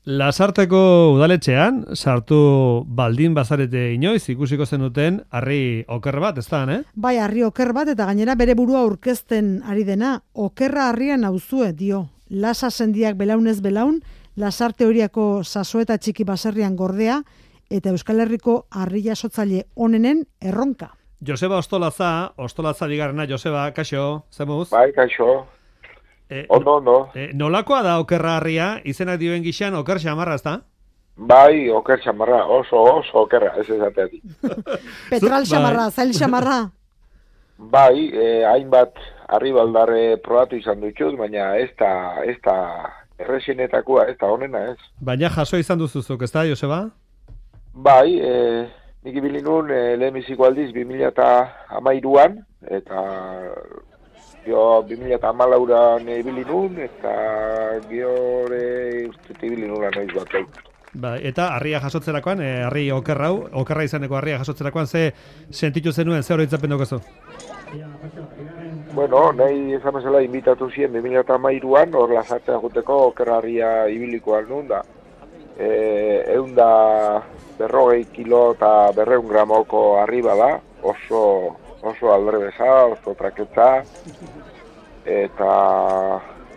Lasarteko udaletxean, sartu baldin bazarete inoiz, ikusiko zenuten harri oker bat, ez da, Bai, harri oker bat, eta gainera bere burua aurkezten ari dena, okerra harrian nauzue, dio. Lasa sendiak belaunez belaun, Lasarte horiako sasoeta txiki baserrian gordea, eta Euskal Herriko harri jasotzaile onenen erronka. Joseba Ostolatza bigarrena, Joseba, kaixo, zemuz? Bai, kaixo. Ondo. Nolakoa da okerra harria, izenak dioen gixan oker xamarra, ez da? Bai, oker xamarra, oso okerra, ez ezateatik. Petral xamarra, zail xamarra. Bai, hainbat harri baldarre probatu izan dutxut, baina ez da erresenetakoa, ez da honena, ez. Baina jaso izan duzuzuk, ez da, Joseba? Bai, nik ibili nun lehenbiziko aldiz 2013an, eta gio 2014an ibili nun, eta giore ustete ibili nula noiz bat. Ba, eta harria jasotzerakoan, harri okerra izaneko harria jasotzerakoan, ze sentitu zenuen, ze oroitzapen daukazu? Bueno, nahi esan bezala inbitatu ziren 2013an, hor Lasartea juteko okerra harria ibilikoan nun da. 140 kilo eta 200 gramoko harri bada, oso aldrebesa, oso traketza, eta,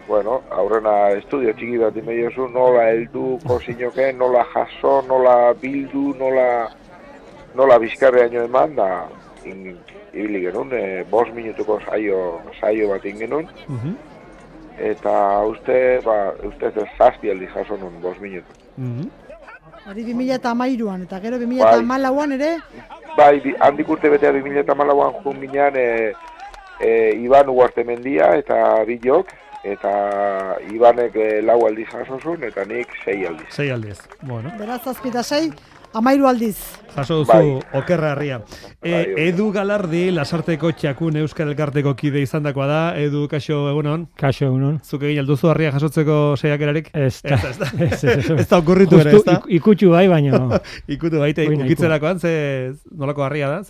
bueno, aurrena estudio txiki bat imediozu, nola heldu kozinoke, nola jaso, nola bildu, nola bizkarreaino eman, da, ibili genuen, 5 minutuko saio bat ingenuen, eta uste zazpi aldi jaso nun 5 minutu. Hori 2013an, eta gero 2014an ere? Bai, handik urte betea 2014an jun ginean Iban Ugartemendia eta Bilok, eta Ibanek 4 aldiz jasozun, eta nik 6 aldiz. 6 aldiz, bueno. Beraz, 7 eta 6, 13 aldiz. Jaso duzu okerra harria. Edu Galardi, Lasarteko txakun Euskal Elkarteko kide izandakoa da. Edu, kaixo egunon? Kaixo egunon. Zuk egin alduzu harria jasotzeko saiakerarik? Ez da okurritu ere, ez da? Ikutu bai, baina... Ikutu baita, ukitzerakoan, nolako harria da?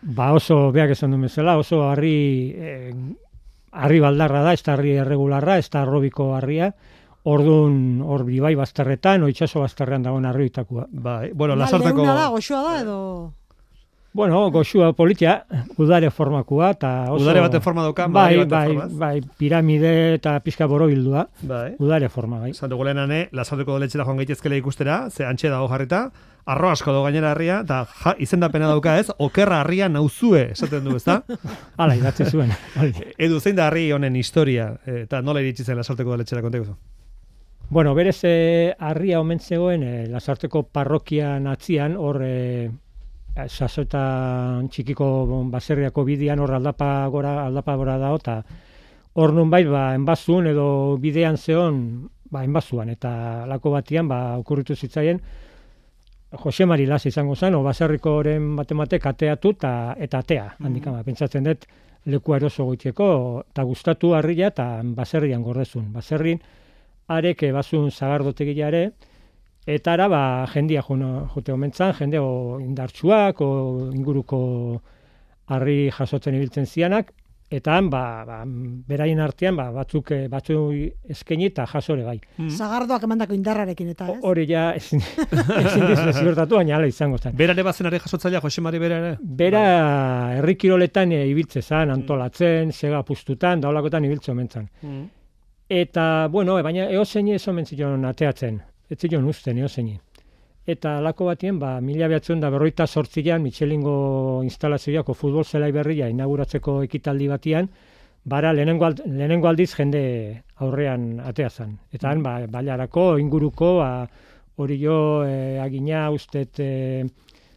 Ba oso, beak esan du bezala, oso harri baldarra da, ez da harri erregularra, ez da arrobiko harria. Orduan, hor bai bazterretan, itsaso bazterrean dagoen harrioitakoa. Bai, bueno, Lasarteko... Leuna da, goxua da, edo... Bueno, goxua politia, udare formakoa, eta oso... Udare baten forma dauka, bai, piramide eta pixka borobildua. Bai. Udare forma, bai. Santuko lehenane, Lasarteko doletxera joan gaitezkela ikustera, ze antxe dago jarrita, arro asko dago gainera harria, eta izendapena dauka ez, okerra harria nauzue, esaten du, ezta? Hala, idatzi zuen. Edu, zein da harri honen historia, eta nola iritsi zen Lasarteko doletxera konteko? Bueno, berez harria omen zegoen Lasarteko parrokian atzian, hor sasoetan txikiko baserriako bidean, hor aldapa gora dago, eta hor nun bai, enbazun edo bidean zeon, enbazuan, eta lako batian, okurritu zitzaien, Jose Mari Las izango zen, baserriko oren batematek ateatu eta atea, handikama, pentsatzen dut lekua eroso goiteko, eta gustatu harria eta baserrian gordezun. Baserrin, arek bazun zagardotegilare, eta ara jendia jote omentzan, jende indartsuak, inguruko harri jasotzen ibiltzen zianak, eta beraien artean batzuk eskaini eta jasore bai. Zagardoak emandako indarrarekin eta ez? Hori ja ezin dizu ziurtatu, baina hala izango zen. Berare bazen ari jasotzailea, Jose Mari bera ere? Bera herri kiroletan ibiltze zan, antolatzen, sega pustutan, daulakotan ibiltze omentzan. Eta, bueno, baina eozeini ez omen zion ateatzen, ez zion uzten eozeini. Eta lako batien, 1948an Michelingo instalazioako futbol zelai berria inauguratzeko ekitaldi batian, lehenengo aldiz jende aurrean atea zen. Eta han, bailarako, inguruko, hori jo, agina ustet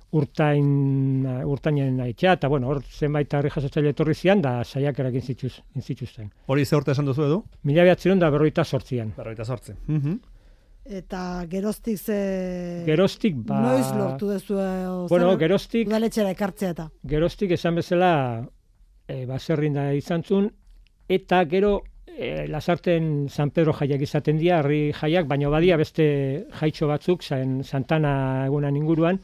urtainen aitzea, eta bueno, hor zenbait harri jasotzaile etorri zian, da saiakerak inzituzten. Hori ze urte esan duzu edu? 1948an. 48. Eta geroztik Geroztik, noiz lortu dezu udaletxera ekartzea eta? Geroztik esan bezala baserrin da izan zuen, eta gero Lasarten San Pedro jaiak izaten dira, harri jaiak, baina badia beste jaitxo batzuk, Santana egunan inguruan,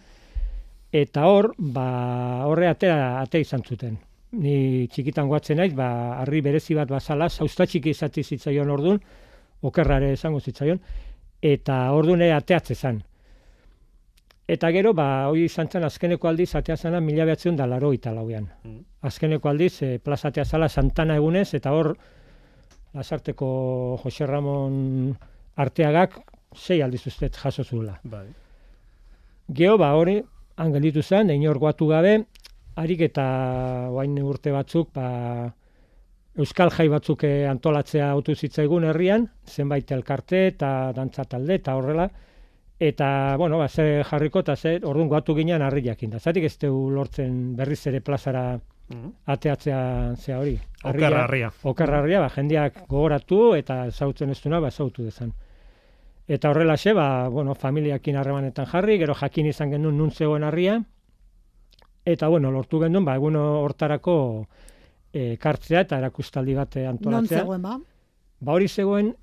eta horre ate izan zuten. Ni txikitan guatzen naiz, harri berezi bat bazala, zauzta txiki izati zitzaion orduan, okerrare esango zitzaion, eta ordune ateatze zan. Eta gero, hori izan zen azkeneko aldiz atea zana 1984an. Azkeneko aldiz, plaza atea zala Santana egunez, eta hor, Lasarteko Jose Ramon Arteagak 6 aldiz ustez jaso zuela. Bai. Gero, hori, angelitu zen, inor guatu gabe, harik eta oain urte batzuk, Euskal Jai batzuk antolatzea autu zitzaigun herrian, zenbait elkarte eta dantza talde eta horrela, eta, bueno, ze jarriko eta orduan guatu ginean harriakin da. Zatik ez teu lortzen berriz ere plazara ateatzea zea hori. Okerra harria, jendeak gogoratu eta zautzen ez duena, zautu dezan. Eta horrelaxe, bueno, familiakin harremanetan jarri, gero jakin izan genuen nun zegoen harria, eta, bueno, lortu genuen, egun hortarako kartzea eta erakustaldi bat antolatzea. Non zegoen, hori zegoen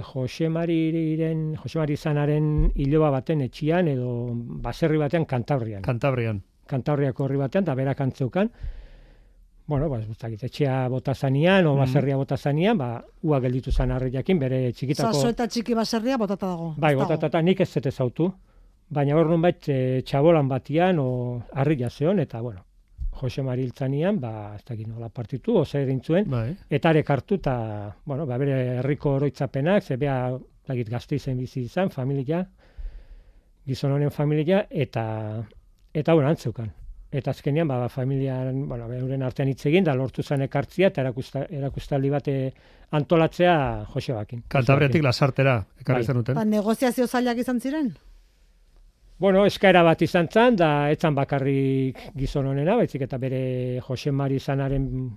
Jose Mari Zanaren iloba baten etxian edo baserri batean Kantabriako horri batean, da berak antzeukan. Bueno, etxea bota zanian, o baserria bota zanian, ua gelditu zan harriakin, bere txikitako... Zaso eta txiki baserria botata dago. Bai, botata nik ez zete zautu. Baina hor nunbait txabolan batian, o harria zeon, eta, bueno, Jose Mari hiltzanian, ez dakit nola partitu, oza egin zuen, eta arek hartu, eta, bueno, bere herriko oroitzapenak, ze beha, Gasteizen bizi izan, familia, gizon honen familia, eta bueno, antzeukan. Eta azkenean, familian, bueno, euren artean hitz egin, da lortu zen ekartzia, eta erakustaldi bat antolatzea Josebakin. Kantabriatik Lasartera, ekarri zenuten. Negoziazio zailak izan ziren? Bueno, eskaera bat izan zen, da etzan bakarrik gizon honena, baizik eta bere Jose Mari Zanaren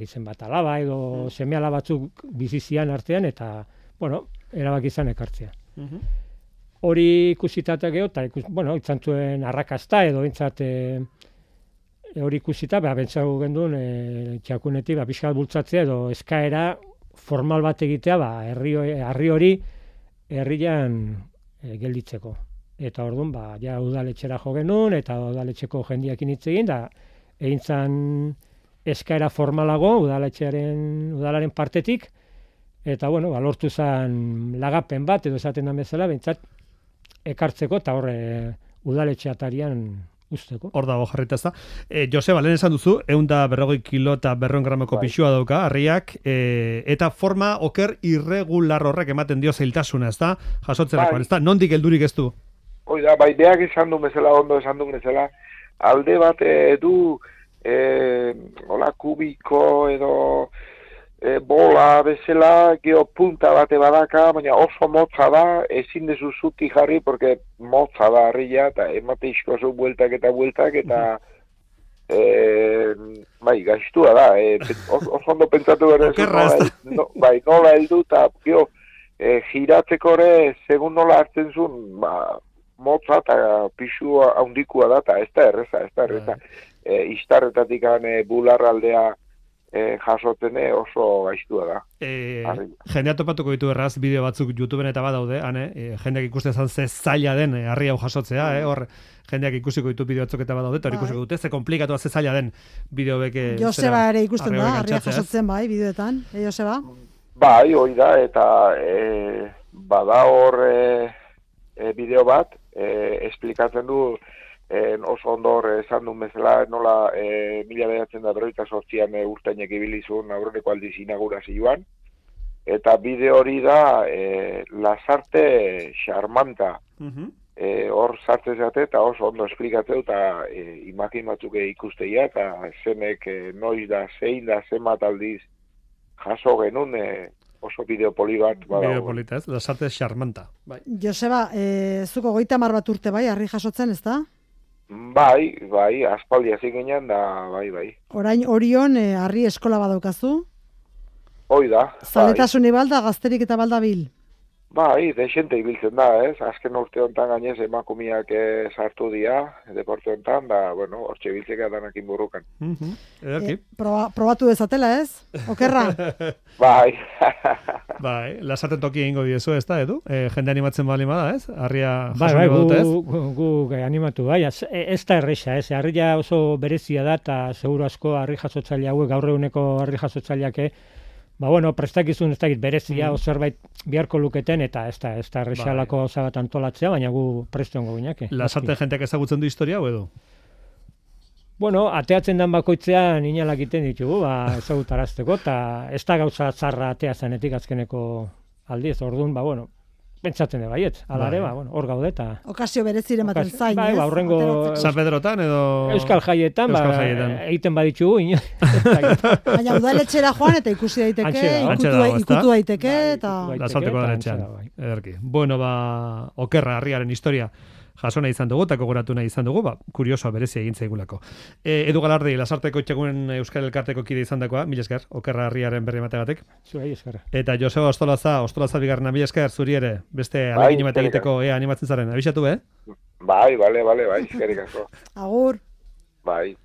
zen bat alaba edo seme alaba batzuk bizizian artean, eta, bueno, erabaki izan ekartzea. Hori ikusitatea geho, eta, bueno, izan zuen arrakasta edo entzat hori ikusita, bentsau genduen txakunetik, pixkat bultzatzea edo eskaera formal bat egitea, herri hori herrian gelditzeko. Eta orduan, ja udaletxera jo genuen, eta udaletxeko jendiakin hitz egin, da egin zan eskaera formalago udalaren partetik, eta, bueno, lortu zan lagapen bat, edo esaten da bezala, bentsat ekartzeko, eta horre udaletxeatarian usteko. Hor dago jarrita ez da. Joseba, lehen esan duzu, 140 kilo eta 200 gramoko pixua dauka, harriak, eta forma oker irregular horrek ematen dio zailtasuna, ez da? Jasotzerakoan, ez da? Nondik heldurik ez du? Oida, beak esan du bezala, ondo esan du bezala, alde bat du hola kubiko edo bola bezala, geopunta bate badaka, baina oso motza da, ezin dezu zuti jarri, porque motza da harria, eta emate izkoazu bueltak, eta bai, gaiztua da, oso ondo pentsatu behar nola heldu, eta giratzeko ere, segun nola hartzen zuen, motza eta pixu haundikua da, eta ez da erreza. Iztarretatik bularraldea jasoten oso gaiztua da. Jendea topatuko ditu erraz, bideo batzuk YouTubeen eta badaude, jendeak ikusten zan ze zaila den harri hau jasotzea, hor jendeak ikusiko ditu bideo batzuk eta badaude, eta hor ikusiko dute, ze komplikatua ze zaila den bideo beke... Joseba ere ikusten da, harria jasotzen bai, bideoetan, Joseba? Bai, hori da, eta bada hor bideo bat, esplikatzen du, oso ondor esan duen bezala, nola 1998an urtainek ibilizun aurreneko aldiz inaugurazioan, eta bideo hori da Lasarte Xarmanta. Hor sartzen zate eta oso ondo esplikatzeu eta imakin batzuk ikusteia, eta zenek noiz da, zein da, zenbat aldiz jaso genuen oso bideopoli bat. Bideopolita ez, Lasarte Xarmanta. Joseba, zuko 30 bat urte bai, harri jasotzen, ez da? Bai, aspaldi hasi ginen da, bai. Orain Orion harri eskola badaukazu? Hoi da. Zaletasuni balda, gazterik eta balda bil? Bai, desente ibiltzen da, ez? Azken urte honetan gainez emakumiak sartu dira, deporte honetan, da, bueno, hortxe biltzeka danakin burrukan. Probatu dezatela, ez? Okerra? Bai. Bai, Lasarte toki egingo diezu, ez da, Edu? Jende animatzen bali bada, ez? Harria bai, gu animatu, bai, ez da erresa, ez? Harria oso berezia da, eta seguru asko harri jasotzaile hauek, gaur eguneko harri jasotzaileak, bueno, prestakizun ez dakit berezia o zerbait beharko luketen eta ez da errexalako gauza bat antolatzea, baina gu presto ongo gineke. Lasarte jenteak ezagutzen du historia, hau edo? Bueno, ateatzen dan bakoitzean inalak iten ditugu, ezagutarazteko, eta ez da gauza txarra atea zanetik azkeneko aldiz, orduan, bueno, pentsatzen de baiet, alare, hor gaude eta... Okazio bereziren baten zain, ez? Horrengo... San Pedrotan edo... Euskal jaietan, egiten baditugu, baina udaletxera joan eta ikusi daiteke, ikutu daiteke, eta... Lasarteko udaletxean, ederki. Bueno, okerra harriaren historia jaso nahi izan dugu, eta gogoratu nahi izan dugu, kuriosoa berezia egin zaigulako. Edu Galardi, Lasarteko Itxegun Euskal Elkarteko kide izan dakoa, mila esker, okerra harriaren berri emategatik. Zuei esker. Eta Joseba Ostolaza bigarna, mila esker, zuri ere, beste alegin bat egiteko animatzen zaren, abixatu, Bai, eskerik asko. Agur. Bai.